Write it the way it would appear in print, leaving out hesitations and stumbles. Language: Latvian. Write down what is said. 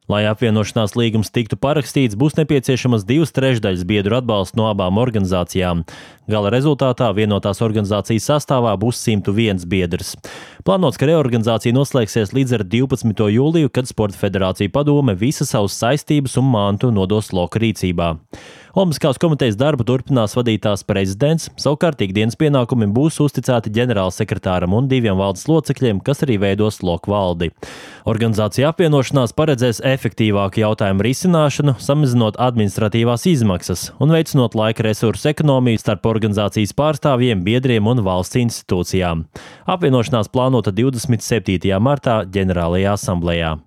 Lai apvienošanās līgums tiktu parakstīts, būs nepieciešamas 2/3 biedru atbalsts no abām organizācijām. Gala rezultātā vienotās organizācijas sastāvā būs 101 biedrs. Plānots, ka reorganizācija noslēgsies līdz ar 12. jūliju, kad Sporta federācija padome visas savas saistības un mantu nodos Loka rīcībā. Olimpiskās komitejas darbu turpinās vadīt tās prezidents, savukārt ikdienas pienākumi būs uzticēti ģenerālsekretāram un 2 valdes locekļiem, kas arī veidos Loka valdi. Organizācija apvienošanās paredzēs efektīvāku jautājumu risināšanu, samazinot administratīvās izmaksas un veicinot laika resursu ekonomiju starp organizācijas pārstāvjiem, biedriem un valsts institūcijām. Apvienošanās plānota 27. martā ģenerālajā asamblējā.